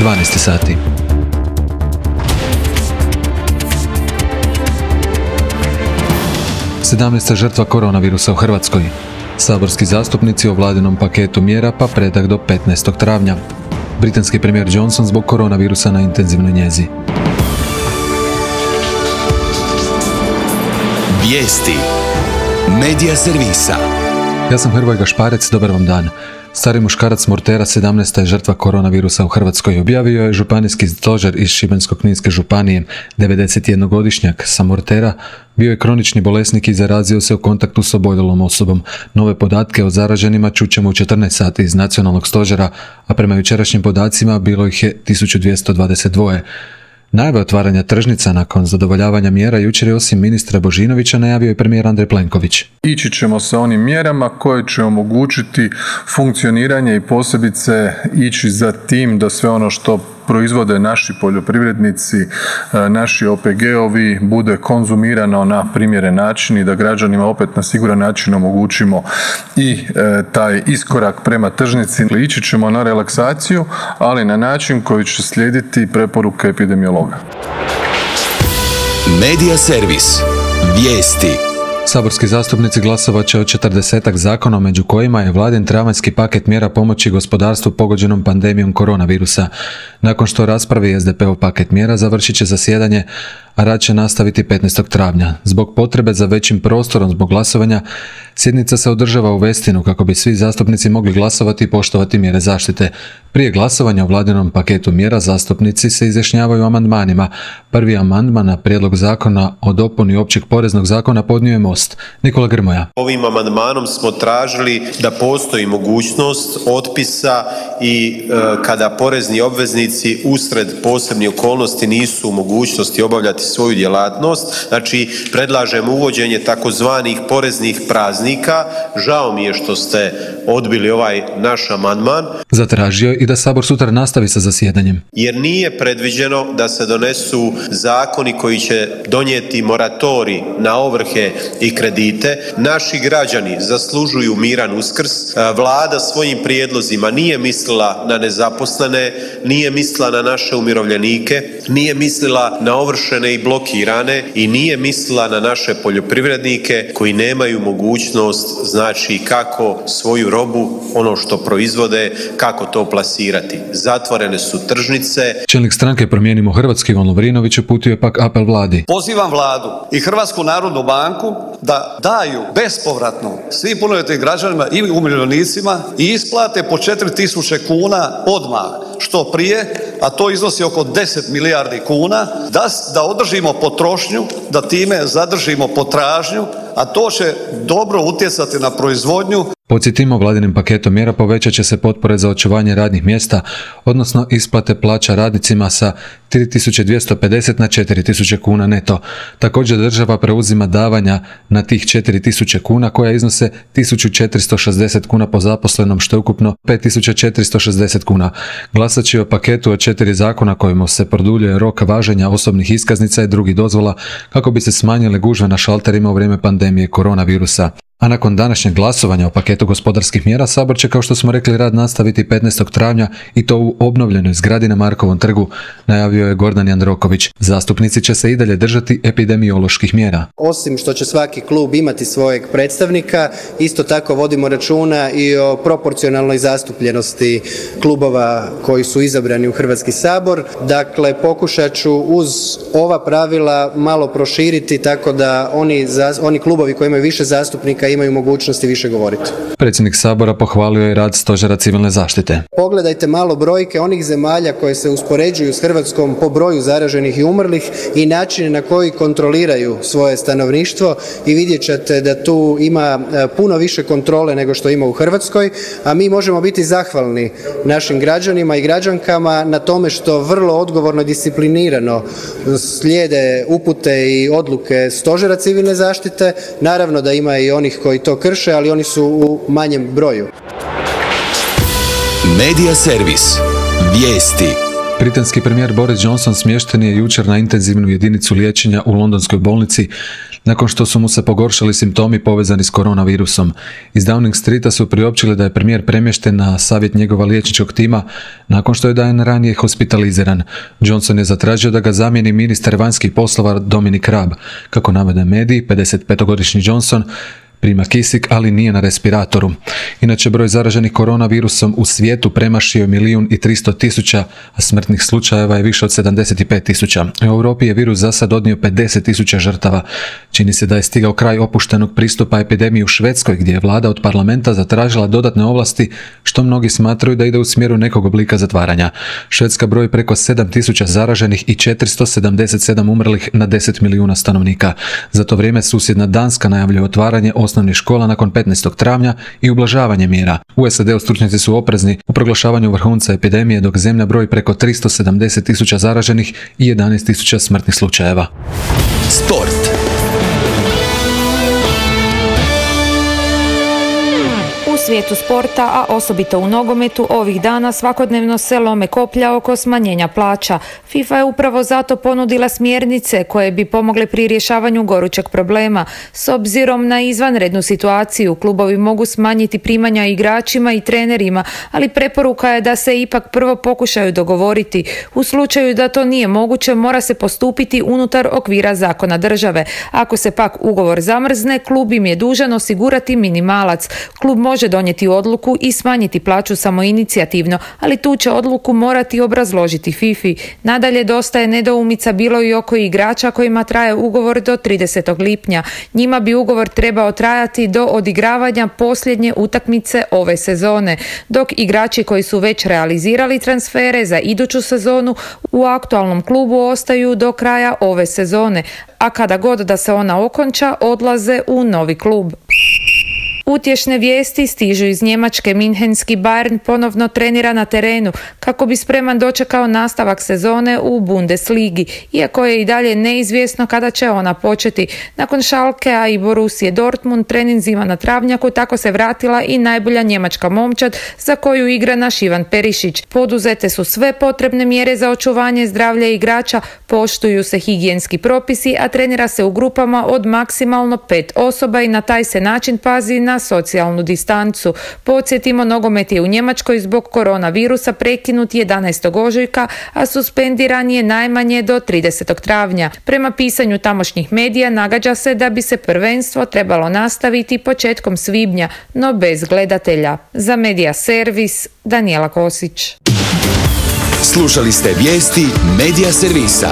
12 sati. Sedamnaesta žrtva koronavirusa u Hrvatskoj. Saborski zastupnici o vladinom paketu mjera pa predah do 15. travnja. Britanski premijer Johnson zbog koronavirusa na intenzivnoj njezi. Vijesti Medija servisa. Ja sam Hrvoje Gašparec, dobar vam dan. Stari muškarac s Murtera, 17. je žrtva koronavirusa u Hrvatskoj. Objavio je županijski stožer iz Šibensko-kninske županije. 91-godišnjak sa Murtera bio je kronični bolesnik i zarazio se u kontaktu s oboljelom osobom. Nove podatke o zaraženima čućemo u 14 sati iz nacionalnog stožera, a prema jučerašnjim podacima bilo ih je 1222. Najave otvaranja tržnica nakon zadovoljavanja mjera jučer je osim ministra Božinovića najavio i premijer Andrej Plenković. Ići ćemo sa onim mjerama koje će omogućiti funkcioniranje i posebice ići za tim da sve ono što proizvode naši poljoprivrednici, naši OPG-ovi bude konzumirano na primjeren način i da građanima opet na siguran način omogućimo i taj iskorak prema tržnici. Ići ćemo na relaksaciju, ali na način koji će slijediti preporuke epidemiologa. Medija servis. Vijesti. Saborski zastupnici glasovat će o 40-ak zakona, među kojima je vladin travanjski paket mjera pomoći gospodarstvu pogođenom pandemijom koronavirusa. Nakon što raspravi SDP-ov paket mjera, završit će zasjedanje, a rad će nastaviti 15. travnja. Zbog potrebe za većim prostorom zbog glasovanja, sjednica se održava u Westinu kako bi svi zastupnici mogli glasovati i poštovati mjere zaštite. Prije glasovanja o vladinom paketu mjera zastupnici se izjašnjavaju amandmanima. Prvi amandman na prijedlog zakona o dopuni općeg poreznog zakona podnio je Most. Nikola Grmoja. Ovim amandmanom smo tražili da postoji mogućnost otpisa i kada porezni obveznici usred posebnih okolnosti nisu u mogućnosti obavljati svoju djelatnost. Znači, predlažemo uvođenje takozvanih poreznih praznika. Žao mi je što ste odbili ovaj naš amandman. Zatražio je i da Sabor sutra nastavi sa zasjedanjem. Jer nije predviđeno da se donesu zakoni koji će donijeti moratorij na ovrhe i kredite. Naši građani zaslužuju miran Uskrs. Vlada svojim prijedlozima nije mislila na nezaposlene, nije mislila na naše umirovljenike, nije mislila na ovršene i blokirane i nije mislila na naše poljoprivrednike koji nemaju mogućnost, znači, kako svoju robu, ono što proizvode, kako to plasirati. Zatvorene su tržnice. Čelnik stranke Promijenimo Hrvatsku Ivan Lovrinović uputio je pak apel vladi. Pozivam vladu i Hrvatsku narodnu banku da daju bespovratno svim punoljetnim građanima i umirovljenicima i isplate po 4.000 kuna odmah, što prije, a to iznosi oko 10 milijardi kuna, da održimo potrošnju, da time zadržimo potražnju, a to će dobro utjecati na proizvodnju. Podsjetimo, vladinim paketom mjera povećat će se potpore za očuvanje radnih mjesta, odnosno isplate plaća radnicima sa 3.250 na 4.000 kuna neto. Također država preuzima davanja na tih 4.000 kuna koja iznose 1.460 kuna po zaposlenom, što je ukupno 5.460 kuna. Glasat će o paketu od 4 zakona kojima se produljuje rok važenja osobnih iskaznica i drugih dozvola kako bi se smanjile gužve na šalterima u vrijeme pandemije koronavirusa. A nakon današnjeg glasovanja o paketu gospodarskih mjera, Sabor će, kao što smo rekli, rad nastaviti 15. travnja i to u obnovljenoj zgradi na Markovom trgu, najavio je Gordan Jandroković. Zastupnici će se i dalje držati epidemioloških mjera. Osim što će svaki klub imati svojeg predstavnika, isto tako vodimo računa i o proporcionalnoj zastupljenosti klubova koji su izabrani u Hrvatski sabor. Dakle, pokušat ću uz ova pravila malo proširiti tako da oni klubovi koji imaju više zastupnika imaju mogućnosti više govoriti. Predsjednik Sabora pohvalio je rad Stožera civilne zaštite. Pogledajte malo brojke onih zemalja koje se uspoređuju s Hrvatskom po broju zaraženih i umrlih i načine na koji kontroliraju svoje stanovništvo i vidjet ćete da tu ima puno više kontrole nego što ima u Hrvatskoj, a mi možemo biti zahvalni našim građanima i građankama na tome što vrlo odgovorno i disciplinirano slijede upute i odluke Stožera civilne zaštite. Naravno da ima i onih koji to krše, ali oni su u manjem broju. Medija servis. Vijesti. Britanski premijer Boris Johnson smješten je jučer na intenzivnu jedinicu liječenja u londonskoj bolnici nakon što su mu se pogoršali simptomi povezani s koronavirusom. Iz Downing Streeta su priopćili da je premijer premješten na savjet njegova liječničkog tima nakon što je dan ranije hospitaliziran. Johnson je zatražio da ga zamijeni ministar vanjskih poslova Dominic Raab. Kako navode mediji, 55-godišnji Johnson prima kisik, ali nije na respiratoru. Inače, broj zaraženih koronavirusom u svijetu premašio je 1.300.000, a smrtnih slučajeva je više od 75.000. U Europi je virus za sad odnio 50.000 žrtava. Čini se da je stigao kraj opuštenog pristupa epidemiji u Švedskoj, gdje je vlada od parlamenta zatražila dodatne ovlasti, što mnogi smatraju da ide u smjeru nekog oblika zatvaranja. Švedska broji preko 7.000 zaraženih i 477 umrlih na 10 milijuna stanovnika. Za to vrijeme susjedna Danska najavljuje otvaranje osnovnih škola nakon 15. travnja i ublažavanje mjera. U SAD-u stručnjaci su oprezni u proglašavanju vrhunca epidemije, dok zemlja broji preko 370.000 zaraženih i 11.000 smrtnih slučajeva. Sport. U svijetu sporta, a osobito u nogometu, ovih dana svakodnevno se lome koplja oko smanjenja plaća. FIFA je upravo zato ponudila smjernice koje bi pomogle pri rješavanju gorućeg problema. S obzirom na izvanrednu situaciju, klubovi mogu smanjiti primanja igračima i trenerima, ali preporuka je da se ipak prvo pokušaju dogovoriti. U slučaju da to nije moguće, mora se postupiti unutar okvira zakona države. Ako se pak ugovor zamrzne, klub im je dužan osigurati minimalac. Klub može donijeti odluku i smanjiti plaću samoinicijativno, ali tu će odluku morati obrazložiti FIFA-i. Nadalje, dosta je nedoumica bilo i oko igrača kojima traje ugovor do 30. lipnja. Njima bi ugovor trebao trajati do odigravanja posljednje utakmice ove sezone, dok igrači koji su već realizirali transfere za iduću sezonu u aktualnom klubu ostaju do kraja ove sezone, a kada god da se ona okonča, odlaze u novi klub. Utješne vijesti stižu iz Njemačke. Minhenski Bayern ponovno trenira na terenu kako bi spreman dočekao nastavak sezone u Bundesligi, iako je i dalje neizvjesno kada će ona početi. Nakon Schalkea i Borussije Dortmund treninzima na travnjaku tako se vratila i najbolja njemačka momčad za koju igra naš Ivan Perišić. Poduzete su sve potrebne mjere za očuvanje zdravlja igrača, poštuju se higijenski propisi, a trenira se u grupama od maksimalno 5 osoba i na taj se način pazi na socijalnu distancu. Podsjetimo, nogomet je u Njemačkoj zbog koronavirusa prekinut 11. ožujka, a suspendiran je najmanje do 30. travnja. Prema pisanju tamošnjih medija nagađa se da bi se prvenstvo trebalo nastaviti početkom svibnja, no bez gledatelja. Za Medija Servis, Danijela Kosić. Slušali ste vijesti Medija Servisa.